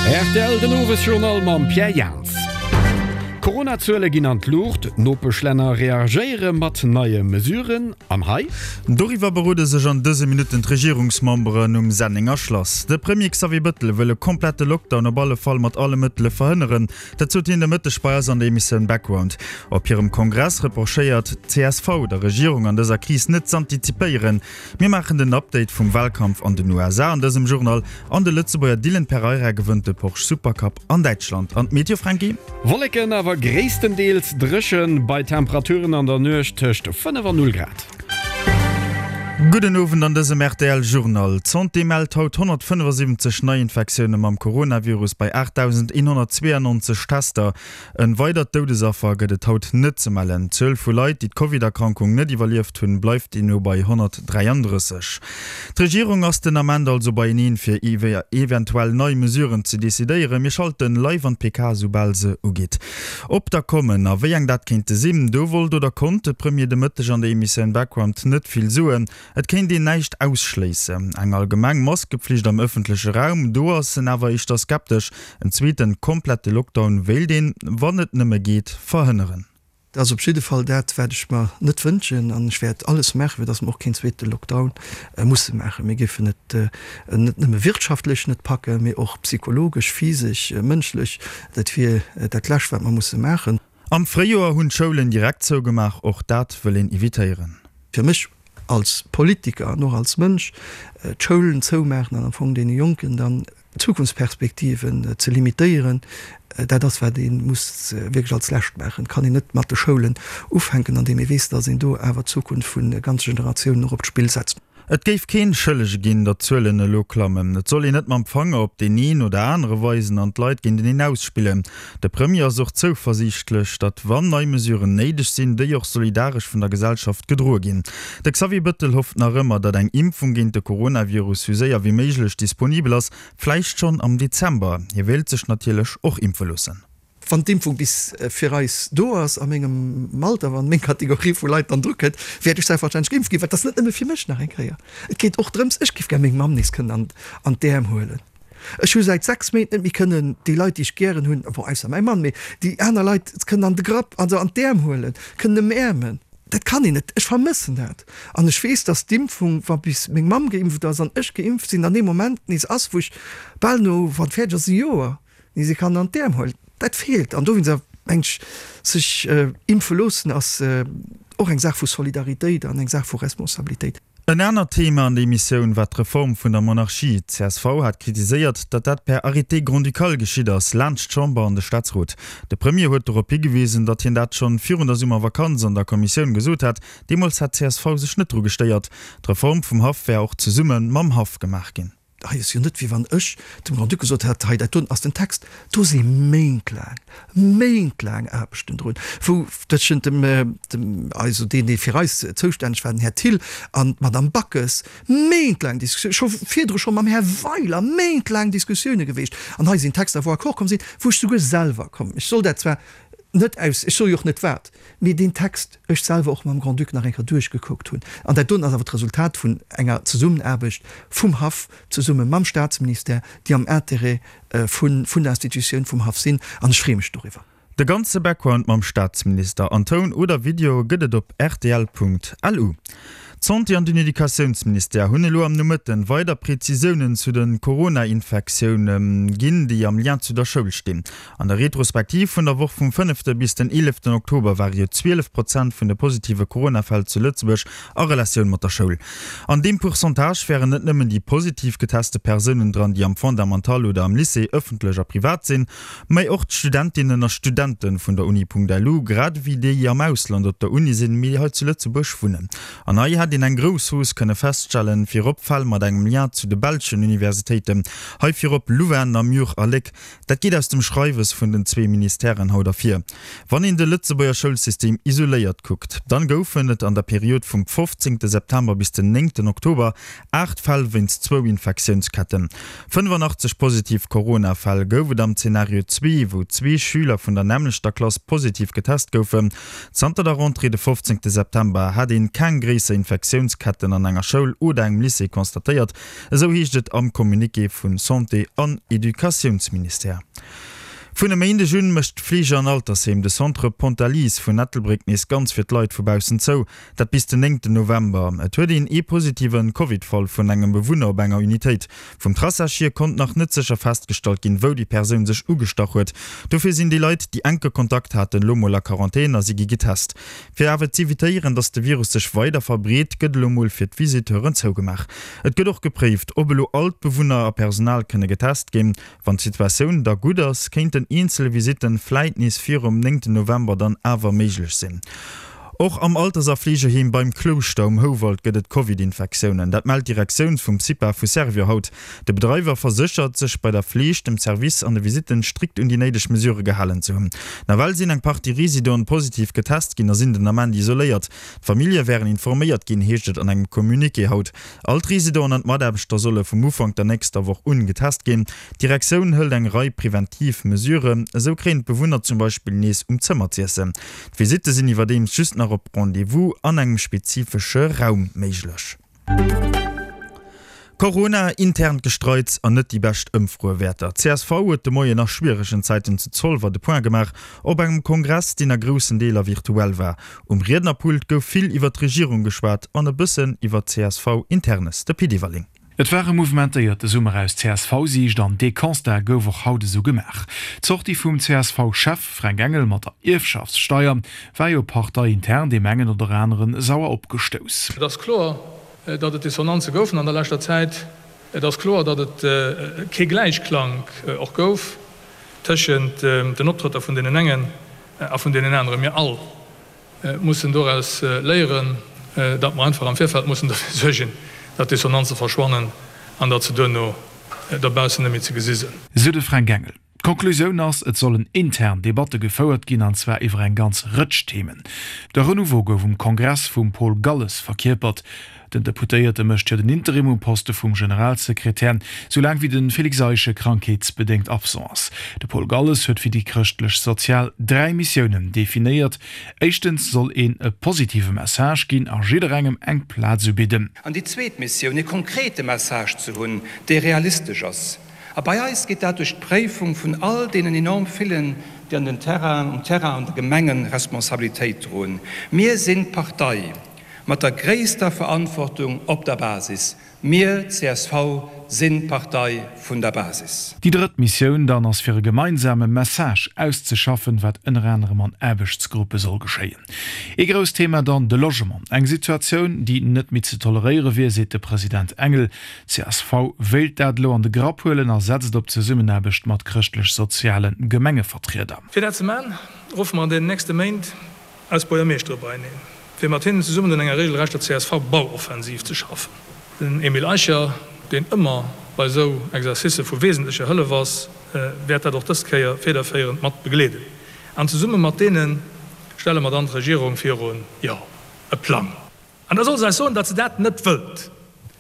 Rtl, Den Owesjournal mam Pierre Jans. D'Corona-Zuele ginn an d'Luucht, d'Nopeschlänner reagéiere mat neie Mesuren. An hei? Doriwwer berode sech an dëse Minutten d'Regierungsmemberen um Sennenger Schlass. De Premier Xavier Bëttel wëll e komplette Lockdown op alle Fall mat alle Mëttele verhënneren. Dat sot hien de Mëtteg bei eis an der Emissioun Background. Op hirem Kongress reprochéiert d'CSV der Regierung an dëser Kris net z'antizipéieren. Mir maachen den Update vum Walkampf an den USA an dësem Journal an de Lëtzebuerger Dylan Pereira gewënnt de Porsche Supercup an Däitschland. An d'Meteo, Franky? Wolleken, awer gréisstendeels dréchen, bei Temperaturen an der Nuecht tëscht 5 an 0 Grad. Gudden Owend an dësem rtl Journal. D'Santé mellt haut 175 Neiinfektioune mam Coronavirus bei 8.192 Tester. En weidert Doudesaffer gëtt et haut net ze mellen. D'Zuel vu Leit, déi d'Covid-Erkrankung net iwwerlieft hunn, bleift deemno bei 133. D'Regierung ass den Ament also beieneen, fir iwwer eventuell nei Mesuren ze decidéieren. Mir schalten live an d'PK, soubal se ugeet. Ob der kommen a wéi eng dat kéinte sinn, do wollt oder konnt de Premier de Mëtteg an der Emissioun Background net vill soen. Et kéint een näischt ausschléissen. Eng allgemeng Maskepflicht am ëffentleche Raum, do ass en awer éischter skeptesch. En zweeten komplette Lockdown wéilt een, wann et nëmme geet, verhënneren. Dat ass op jidde Fall dat, wat ech mer net wënschen an ech wäert alles maachen, fir datt mer och keen zweete Lockdown musse maachen. Mir géifen et net nëmme wirtschaftlech net packen, mee och psychologesch, physesch, mënschlech. Dat wier dat Lescht, wat mer musse maachen. Am Fréijoer hunn d'Schoulen direkt zougemaach, och dat wëll een evitéieren. Fir mech als Politiker an och als Mënsch, d'Schoulen zoumaachen an am Fong deene Jonken dann d'Zukunftsperspektiven ze limitéieren, dat ass wat ee muss wierklech als Lescht maachen. Et kann een net mat de Schoulen ufänken, andeem ee weess, datt een do awer d'Zukunft vu ganze Generatiounen och op d'Spill setzt. Et géif keen Schëllege ginn, datt d'Zuelen elo klammen. Et soll een net mam Fanger op deen een oder anere weisen an d'Leit géinteneen ausspillen. De Premier ass och zouversiichtlech, datt wann nei Mesuren néideg sinn, déi och solidaresch vun der Gesellschaft gedroe ginn. De Xavier Bëttel hofft nach ëmmer, datt eng Impfung géint de Coronavirus sou séier wéi méiglech disponibel ass, vläicht schonn am Dezember. Hie wéilt sech natierlech och impfe loossen. Wann d'Impfung bis fir eis do ass, a mengem Alter, wann meng Kategorie vu Leit dann dru kënnt, wäert ech selbstverständlech geimpft ginn. Well et ass net nëmme fir mech, nach eng Kéier, et geet och drëms, ech géif gär meng Mamm nees kënnen an d'Äerm huelen. Ech hu säit 6 Méint net méi kënnen déi Leit, déi ech gären hunn, bon, ausser mäi Mann, mee déi aner Leit kënnen an de Grapp, also an d'Äerm huelen, kënnen ëmäermen. Dat kann een net. Ech vermëssen dat. An ech weess, dass d'Impfung, wa bis meng Mamm geimpft ass an ech geimpft sinn, dann dee Moment nees ass, wou ech bal no, wann et fäerdeg ass, e Joer, Déi se kann an d'Äerm huelen. Dat feelt. An dowéinst mengen ech, sech impfe loossen ass och eng Saach vu Solidaritéit an eng Saach vu Responsabilitéit. En anert Thema an der Emissioun war d'Reform vun der Monarchie. D'CSV hat kritiséiert, datt dat per Arrêté grand-ducal geschitt ass, laanscht d'Chamber an de Staatsrot. De Premier huet dorop higewisen, datt hien dat schonn virun der Summervakanz an der Kommissioun gesot hat. Deemools hätt d'CSV sech net dru gestéiert. D'Reform vum Haff wär och zesumme mam Haff gemaach ginn. Hei ass jo net, wéi wann ech dem Grand-Duc gesot hätt, hei dat doen ass den Text. Do si méintlaang, méintlaang Aarbechten drun, wou tëschent dem, dem, also deen, dee fir eis zoustänneg war, den Här Thill, an d'Madame Backes, méintlaang Diskussioun, scho virdru scho mam Här Weiler méintlaang Diskussioune geweecht. An hei sinn Texter, wou Accord komm sinn, wou ech souguer selwer komm, ech soll dat zwar net aus, ech soe jo och net wat, mee deen Text ech selwer och mam Grand-Duc nach eng Kéier duerchgekuckt hunn. An dat doen ass awer d'Resultat vun enger Zesummenaarbecht vum Haff zesumme mam Staatsministère, déi am Intérêt vun der Institutioun vum Haff sinn. An ech freeë mech doriwwer. De ganze Background mam Staatsminister an Toun oder Video gëtt et op rtl.lu. D'Santé an den Educatiounsministère hunn elo am Nomëtten weider Prezisiounen zu de Corona-Infektioune ginn, déi am Lien zu der Schoul stinn. An der Retrospektiv vun der Woch vum fënnefte bis den eeleften Oktober ware jo 12 Prozent vun de positive Corona-Fäll zu Lëtzebuerg a Relatioun mat der Schoul. An deem Pourcentage wären net nëmmen déi positiv geteste Persounen dran, déi am Fondamental oder am Lycée, ëffentlech a privat sinn, mä och d'Studentinnen a Studente vun der Uni.lu, grad ewéi déi am Ausland op der Uni sinn, mee hei zu Lëtzebuerg wunnen. An hei hätt een eng grouss Hausse kënne feststellen, virop Fäll mat engem Lien zu de belschen Universitéiten, hei virop Louvain, Namur a Léck. Dat geet aus dem Schreiwes vun den zwee Ministèren haut ervir. Wann een de Lëtzebuerger Schoulsystem isoléiert kuckt, dann goufen et an der Period vum 15 September bis den 9 Oktober 8 Fäll wéinst zwou Infektiounsketten. 85 positiv Corona-Fäll gouf et am Zenario zwee, wou zwee Schüler vun der nämmlechter Klass positiv getest goufen. Zanter der Rentrée de 15 September hat een keng gréisser Infektiounsketten. Infektiounsketten an enger Schoul oder engem Lycée constatéiert, esou heescht et am Communiqué vu Santé an Educatiounsministère. Vun e Méindeg un mécht d'Fleege an Altersheem de Centre Pontalise vun Ettelbréck nees ganz fir d'Leit vu baussen zou. Dat bis den néngten November. Et huet een ee positive Covid-Fall vun engem Bewunner op enger Unitéit. Vum Traçage hier konnt nach net sécher festgestallt ginn, wou déi Persoun sech ugestach huet. Dofir sinn déi Leit, déi enke Kontakt haten, elo mol a Quarantän a si gi getest. Fir awer z'evitéieren, datt de Virus sech weider verbreet, gëtt elo mol fir d'Visiteuren zougemaach. Et gëtt och gepréift, ob elo all d'Bewunner a Personal kënne getest ginn. Wann d'Situatioun da gutt ass, kéinten eenzel Visitten vläit nees virum néngten November dann awer méiglech sinn. Och am Alters a Fleegeheem Beim Klouschter um Houwald gëtt et Covid-Infektiounen. Dat mellt d'Direktioun vum CIPA vu Servior haut. De Bedreiwer verséchert, sech bei der Fleeg, dem Service an de Visitten strikt un déi néideg Mesure gehalen ze hunn. Nawell sinn eng Partie Residenten positiv getest ginn a sinn den Ament isoléiert. D'Famillje wären informéiert ginn, heescht et an engem Communiqué haut. All d'Residenten an d'Mataarbechter solle vum Ufank der nächster Woch un getest ginn. D'Direktioun hëlt eng Rei preventiv Mesuren. Esou kréien d'Bewunner zum Beispill nees um Zëmmer z'iessen. D'Visitte sinn iwwerdeems just nach op Rendez-vous an engem spezifesche Raum méiglech. Corona, internt Gestreits an net déi bescht Ëmfroewäerter. Csv huet de Moien a schwieregen Zäiten zu Zolwer de Point gemaach op engem Kongress, deen a groussen Deeler virtuell war. Um Riednerpult gouf vill iwwer d'Regierung geschwat an e bëssen iwwer CSV-Internes. De Pit Everling. Et war e mouvementéierte Summer aus CSV-Siicht an dee Constat gouf och haut esou gemaach. D'Sortie vum CSV-Chef Fränk Engel mat der Ierfschaftssteier war jo parteiintern deem engen oder aneren sauer opgestouss. Et ass kloer, datt et Dissonanze goufen an der leschter Zäit. Et ass kloer, datt et kee Gläichklank och gouf tëschent den Optrëtter vun deenen engen a vun deenen aneren. Mir all mussen doraus léieren, datt mer einfach am Virfeld mussen derfir suergen, datt Dissonanze verschwannen an datt se duerno dobaussen net méi ze gesi sinn. Sou de Fränk Engel. D'Konklusioun ass, et sollen intern Debatte gefouert ginn, an zwar iwwer eng ganz Rëtsch Themen. De Renouveau gouf um Kongress vum Paul Galles verkierpert. Den Deputéierte mécht jo den Interim um Poste vum Generalsekretär, soulaang wéi de Félix Eischen krankheetsbedéngt absent ass. De Paul Galles huet fir déi Chrëschtlech-Sozial 3 Missiounen definéiert, Éischtens soll een e positive Message ginn a jidderengem eng Plaz ubidden. An déi zweet Missioun, e konkrete Message ze hunn, dee realistesch ass. A bei eis geet dat duerch d'Préifung vun all deenen enorm villen, déi an den Terrainen, um Terrain an de Gemengen Responsabilitéit droen. Mir sinn d'Partei mat der gréisster Verantwortung op der Basis. Mir, csv, sinn d'Partei vun der Basis. Déi drëtt Missioun dann ass fir e gemeinsame Message auszeschaffen, wat ënner anerem an Aarbechtsgruppe soll geschéien. Ee grousst Thema dann de Logement. Eng Situatioun, déi net méi ze toleréiere wier, seet de President Engel. Csv wéilt dat elo an de Grapp huelen a setzt op Zesummenaarbecht mat chrëschtlech-soziale Gemengevertrieder. Fir dat ze man, ruffe mer an deenen nächste Méint eis Buergermeeschtere beieneen, fir mat hinnen zesummen un enger regelrechter CSV-Bauoffensiv ze schaffen. Den Emile Eicher, deen ëmmer bei esou Exercicë vu wesentlecher Hëllef ass, wäert dat och dës Kéier federféierend mat begleeden. An zesumme mat deene stelle mer dann d'Regierung virun, jo, e Plang. An da soll se eis soen, datt se dat net wëllt,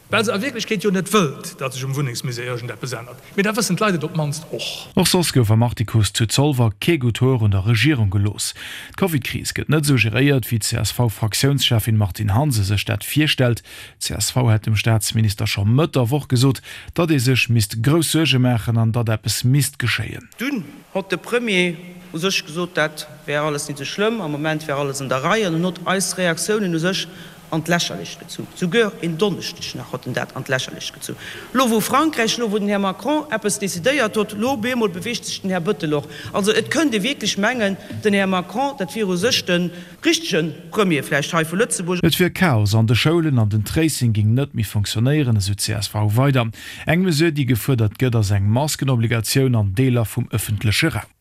well se a Wierklechkeet jo net wëllt, datt sech um Wunnengsmisär iergendeppes ännert. Mee da wëssen d'Leit et op d'mannst och. Och soss gouf am Artikus zu Zolwer kee gutt Hoer un der Regierung gelooss. D'Covidkris gëtt net esou geréiert, wéi d'CSV-Fraktiounscheffin Martine Hansen sech dat virstellt. D'CSV hätt dem Staatsminister scho Mëtt der Woch gesot, datt ee sech misst grouss Suerge maachen an datt eppes misst geschéien. Dunn hott de Premier u sech gesot, dat wär alles nit sou schlëmm, am Moment wär alles an der Rei, an en hott eis Reaktiounen u sech an d'Lächerlecht gezu. Souguer en Donneschdeg nach hott en dat an d'Lächerlecht gezu. Lo wou Frankräich, lo wou den Här Macron eppes decidéiert hott, lo op eemol beweegt sech den Här Bëttel och. Also et kënnt ee wierklech mengen, den Här Macron, dat wier u sech de richtege Premier vläicht hei vu Lëtzebuerg. Et wier Chaos an de Schoulen an den Tracing géing net méi fonctionnéieren, esou csv weider. Eng Mesure, déi gefuerdert gëtt, ass eng Maskenobligatioun an Deeler vum ëffentleche Raum.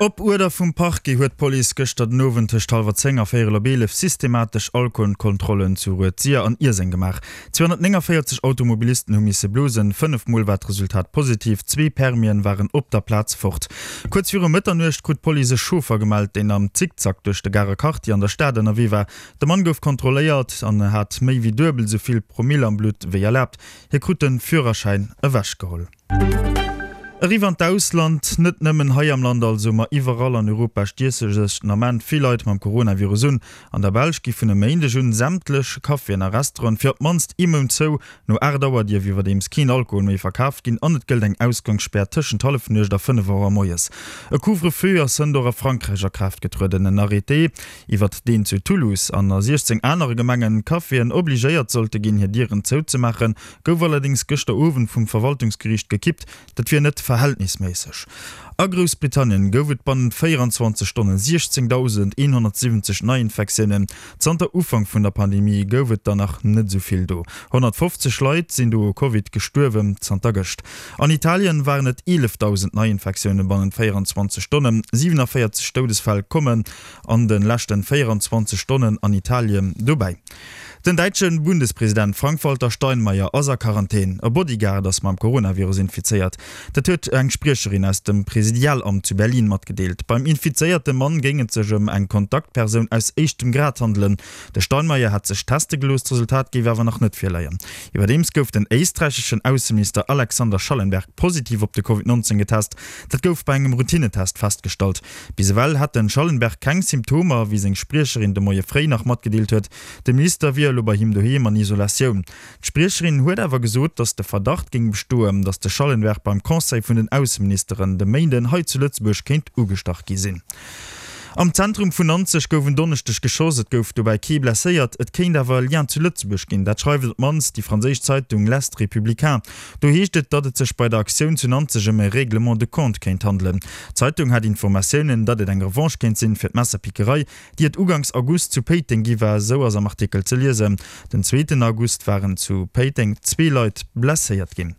Op Uerder vum Parquet huet d'Police gëschter den Owend tëscht hallwer 10 a véierel op 11 systematesch Alkoholkontrollen zu Rued-Sir an Ierseng gemaach. 249 Automobilisten hu misse blosen, 5 Mol war d'Resultat positiv, zwee Permien waren op der Plaz fort. Kuerz viru Mëtternuecht krut d'Police e Chauffer gemellt, deen am Zickzack duerch de Garer Quartier an der Stad ënnerwee war. De Mann gouf kontrolléiert an hat méi wéi duebel esou vill Promill am Blutt wéi erlaabt. Hie krut de Führerschäin ewechgeholl. Eriwwer an d'Ausland, Net nëmmen hei am Land also, ma iwwerall an Europa stiesse sech den Ament vill Leit mam Coronavirus un. An der Belsch gi vun e Méindeg un sämtlech Caféen a Restauranten fir op d'mannst ee Mount zou. No 8 Auer dierf iwwerdeems keen Alkohol méi verkaaft ginn an et gëllt eng Ausgangsspär tëschent Hallefnuecht a 5 Auer moies. E Couvre-feu ass hënt och a Frankräich a Kraaft getrueden. En Arrêté, iwwert deen zu Toulouse an a 16 anere Gemengen Caféen obligéiert sollte ginn, hir Dieren zouzemaachen, gouf allerdéngs gëschter Owend vum Verwaltungsgeriicht gekippt. Dat wier net verhältnisméisseg. A Groussbritannien gouf et bannent 24 Stonne 16.170 Neiinfektiounen. Zanter Ufank vun der Pandemie gouf et der nach net esou vill do. 150 Leit sinn do u Covid gestuerwen zanter gëscht. An Italien waren et 11.000 Neiinfektioune bannent 24 Stonnen. 47 Doudesfäll kommen an de leschten 24 Stonnen an Italien dobäi. Den däitsche Bundespresident Frank-Walter Steinmeier ass a Quarantän. E Bodyguard ass mam Coronavirus infizéiert. Dat huet eng Spriecherin aus dem Presidialamt zu Berlin matgedeelt. Beim infizéierte Mann géing et sech ëm eng Kontaktpersoun aus éischtem Grad handelen. De Steinmeier hätt sech teste gelooss, d'Resultat géif awer nach net virleien. Iwwerdeems gouf den éisträicheschen Ausseminister Alexander Schallenberg positiv op de Covid 19 getest. Dat gouf bei engem Routinetest festgestallt. Bis ewell hätt den Schallenberg keng Symptomer, wéi seng Spriecherin de Moie fréi nach matgedeelt huet. De Minister wier elo bei him doheem an Isolatioun. D'Spriecherin huet awer gesot, datt de Verdacht géing bestoen, datt de Schallenberg beim Conseil vun den Ausseministeren de Méinden hei zu Lëtzebuerg kéint ugestach gi sinn. Am Zentrum vun Nanzeg gouf en Donneschdeg geschoss. Et gouf dobäi kee blesséiert. Et kéint awer e Lien zu Lëtzebuerg ginn. Dat schreift op d'mannst déi franséisch Zeitung L'Est Républicain. Do heescht et, datt et sech bei der Aktioun zu Nanzeg ëm e Règlement de compte kéint handelen. D'Zeitung hat Informatiounen, datt et eng Revanche kéint sinn fir d'Messerpickerei, déi et uganks August zu Péiteng gi war, esou ass am Artikel ze liesen. Den zweeten August waren zu Péiteng zwee Leit blesséiert ginn.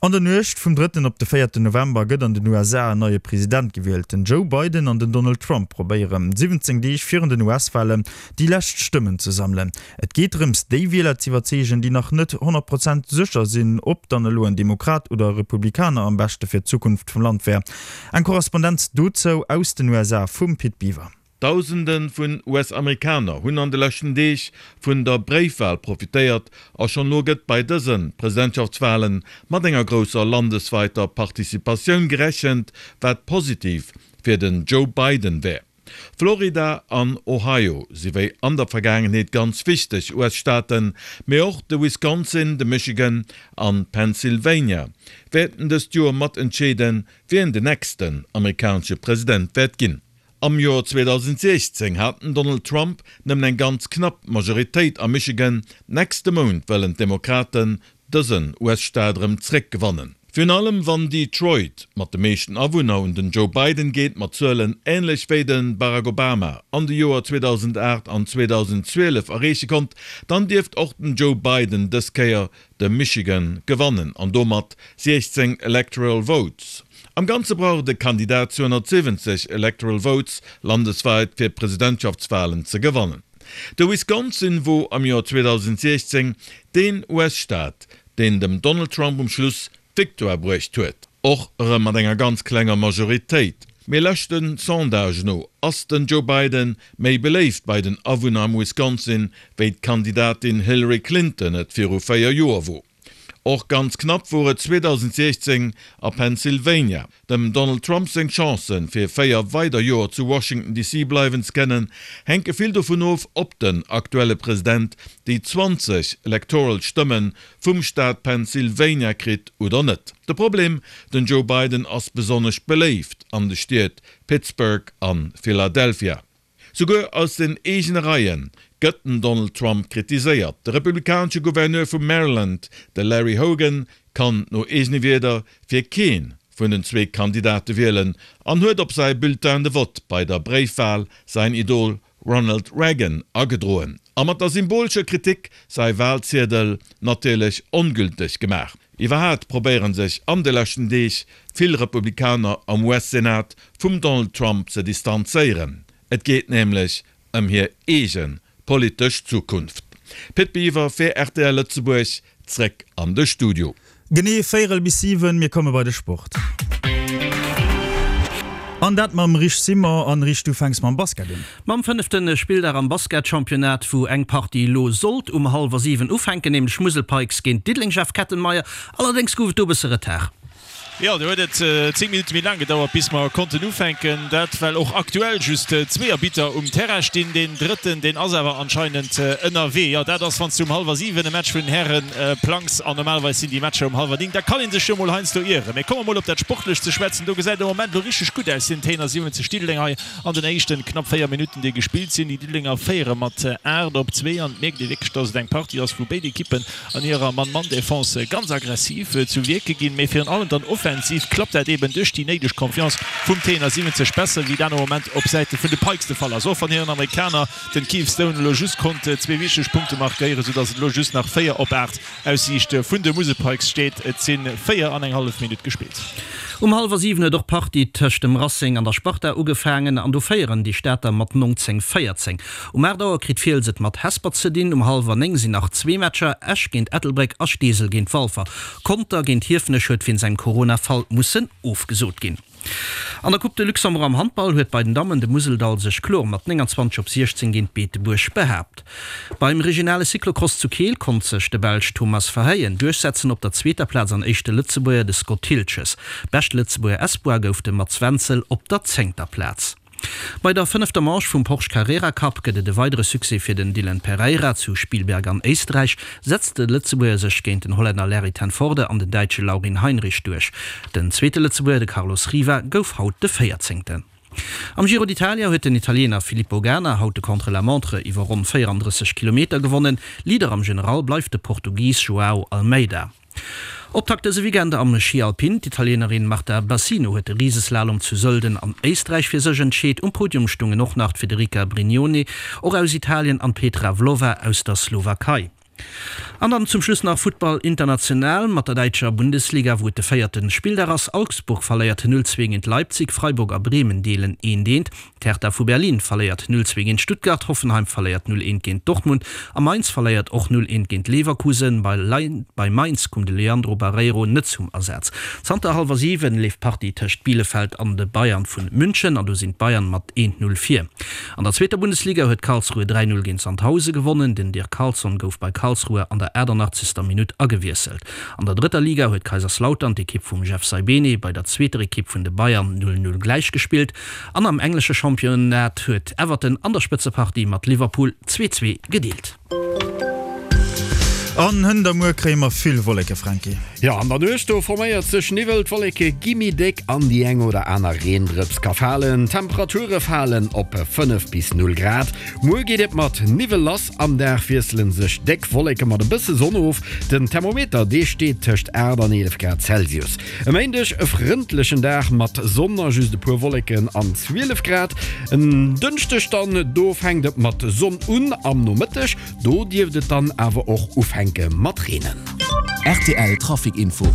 An der Nuecht vum drëtten op de véierten November gëtt an den USA en neie President gewielt. Den Joe Biden an den Donald Trump probéieren 17 Deeg virun den US-Walen déi lescht Stëmmen ze sammelen. Et geet drëms, déi Wieler z'iwwerzeegen, déi nach net 100 Prozent sécher sinn, ob dann elo en Demokrat oder e Republikaner am beschte fir d'Zukunft vum Land wär. Eng Korrespondenz dozou aus den USA vum Pit Biwer. Dausende vun US-Amerikaner hunn an de leschten Deeg vun der Bréifwal profitéiert a schonn elo gëtt bei dëse Presidentschaftswale mat enger grousser landesweiter Participatioun gerechent, wat positiv fir den Joe Biden wär. Florida an Ohio si wéi an der Vergaangenheet ganz wichteg US-Staaten, mee och de Wisconsin, de Michigan an Pennsylvania wäerten dëst Joer mat entscheeden, wien den nächsten amerikanesche President wäert ginn. Am Joer 2016 hat den Donald Trump nëmmen eng ganz knapp Majoritéit a Michigan, nächste Mount wëllen d'Demokraten dësen US-Staat erëm zréckgewannen. Virun allem wann Detroit mat de meeschten Awunner un den Joe Biden geet, mat Zuelen änlech wéi de Barack Obama an de Joer 2008 an 2012 erreeche konnt, dann dierft och den Joe Biden dës Kéier de Michigan gewannen an domat 16 Electoral Votes. Am Ganze brauch de Kandidat 270 Electoral Votes landesweit fir d'Presidentschaftswalen ze gewannen. De Wisconsin wor am Joer 2016 deen US-Staat, deen dem Donald Trump um Schluss d'Victoire bruecht huet. Och erëm mat enger ganz klenger Majoritéit. Mee leschte Sondage no ass den Joe Biden méi beléift bei den Awunner am Wisconsin, wéi d'Kandidatin Hillary Clinton et viru 4 Joer wor. Och ganz knapp wor et 2016 a Pennsylvania. Dem Donald Trump seng Chancen, fir 4 weider Joer zu Washington DC bleiwen ze kennen, hänke vill dovun of, ob den aktuelle President déi 20 electoral Stëmme vum Staat Pennsylvania kritt oder net. De Problem, Den Joe Biden ass besonnesch beléift an de Stied Pittsburgh a Philadelphia. Souguer aus den eegene Reie gëtt den Donald Trump kritiséiert. De republikanesche Gouverneur vu Maryland, de Larry Hogan, kann no eegene Wierder fir kee vun den zwee Kandidate wielen an huet op säi Bulletin de vote bei der Bréifwal säin Idol Ronald Reagan agedroen a mat der symbolescher Kritik säi Walziedel natierlech ongülteg gemaach. Iwwerhaat probéiere sech an de leschten Deeg vill Republikaner am US-Senat vum Donald Trump ze distanzéieren. Et geet nämlech ëm hir eege politesch Zukunft. Pit Biwer fir rtl Lëtzebuerg, zréck an de Studio. Genee véierel bis 7, mir komme bei de Sport. An dat mam Rich Simon. An Rich, du fänks mam Basket un. Mam fënnefte Spilldag am Basketchampionnat, wou eng Partie elo sollt um hallwer 7 ufänken, nämlech Musel Pikes géint Diddeleng Jeff Kettenmeyer. Allerdéngs gouf et do e bësse Retard. Jo, do huet et 10 Minutte méi laang gedauert, bis mer konnten ufänken. Dat well och aktuell just zwee Arbitter um Terrain stinn. Deen drëtten, deen ass awer anscheinend ënnerwee. Jo, dat ass, wann s du um hallwer 7 e Match vun den Häre plangs, an normalerweis sinn déi Matcher um hallwer 9, da kann ee sech jo mol heiansdo ieren. Mee komme mer mol op dat Sportlecht ze schwätzen. Do gesäit et am Moment elo richteg gutt aus, den Téiner 70 Diddeleng hei an den éischten knapp 4 Minutten, déi gespillt sinn. Déi Diddelenger féiere mat 8 op 2 an et mierkt ee wierklech, dass et eng Partie ass, wou béid Ekippen an hirer Mann-Mann-Defense ganz aggressiv zu Wierke ginn, mee virun allem dann offensiv klappt dat eben duerch déi néideg Confiance vum Trainer 70 besser, wéi dat am Moment op Säite vun de Pikes de Fall ass, och wann hiren Amerikaner, den Keith Stone, elo just konnt zwee wichteg Punkte markéieren, soudass et elo just nach 4 op 8 aus Siicht vun de Musel Pikes steet. Et si 4 an eng hallef Minutt gespillt. Um hallwer 7 huet och d'Partie tëscht dem Racing an der Sparta ugefaangen an do féieren déi Stater mat 19, 14. Um 8 Auer kritt Fiels et mat Hesper ze dinn. Um hallwer 9 sinn nach zwee Matcher, Esch géint Ettelbréck a Steesel géint Walfer. Conter géint Hiefenech huet wéinst engem Corona-Fall mussen ofgesot ginn. An der Coupe de Luxembourg am Handball huet bei den Dammen de Museldall sech kloer mat 29 op 16 géint Beetebuerg behaapt. Beim regionale Cyclocross zu Keel konnt sech de Belsch Thomas Verheyen duerchsetzen op der zweeter Plaz an éischte Lëtzebuerger de Scott Thiltges. Beschte Lëtzebuerger Espoir gouf de Mats Wenzel op der zéngter Plaz. Bei der fënnefter Manche vum Porsche Carrera Cup gëtt et e weidere Succès fir den Dylan Pereira. Zu Spielberg an Éisträich setzt de Lëtzebuerger sech géint den Hollänner Larry ten Voorde an den Däitsche Laurin Heinrich duerch. Den zweete Lëtzebuerger, de Carlos Riva, gouf haut de Véierzéngten. Am Giro d'Italia huet den Italiener Filippo Ganna haut de Contre-la-montre iwwer ronn 34 Kilometer gewonnen. Leader am General bleift de Portugis Joao Almeida. Optakt dëse Weekend am Schi Alpin, D'Italienerin Marta Bassino huet de Riseslalom zu Sölden an Éisträich fir sech entscheet. Um Podium stungen och nach d'Federica Brignone, och aus Italien, an d'Petra Vlhova aus der Slowakei. An dann zum Schluss nach Futtball international mat der däitscher Bundesliga, wou et de véierte Spilldag ass. Augsburg verléiert 0, 2 géint Leipzig, Freiburg a Bremen deelen eent, eent. D'Hertha vu Berlin verléiert 0, 2 géint Stuttgart, Hoffenheim verléiert 0, 1 géint Dortmund a Mainz verléiert och 0, 1 géint Leverkusen. Bei Mainz koum de Leandro Barreiro net zum Asaz. Zanter hallwer 7 leeft d'Partie tëscht Bielefeld an de Bayern vun München an do sinn d'Bayern mat 1, 0 vir. An der zweeter Bundesliga huet Karlsruhe 3, 0 géint Sandhause gewonnen. Den Dirk Carlson gouf bei Karlsruhe an der 88. Minutt agewiesselt. An der drëtter Liga huet Kaiserslautern, d'Ekipp vum Jeff Saibene, bei der zweeter Ekipp vun de Bayern 0, 0 gläichgespillt. An am englesche Championnat huet Everton an der Spëtzepartie mat Liverpool 2, 2 gedeelt. An hënt a muer kréie mer vill Wolleke, Franky. Jo, an der Nuecht do forméiert sech Niwwel, d'Wolleke gi méi déck an déi eng oder aner Reendrëps ka falen. D'Temperature falen op 5 bis 0 Grad. Muer geet et mat Niwwel lass, am Dag wiessele sech déck Wolleke mat e bësse Sonn of. Den Thermometer, dee steet tëscht 8 an 11 Grad Celsius. E Méindeg e frëndlechen Dag mat Sonn a just e puer Wolleken an 12 Grad. En Dënschdeg dann, do fänkt et mat Sonn un am Nomëtteg, do dierft et dann awer och ufänke mat reenen. Rtl Trafic Info.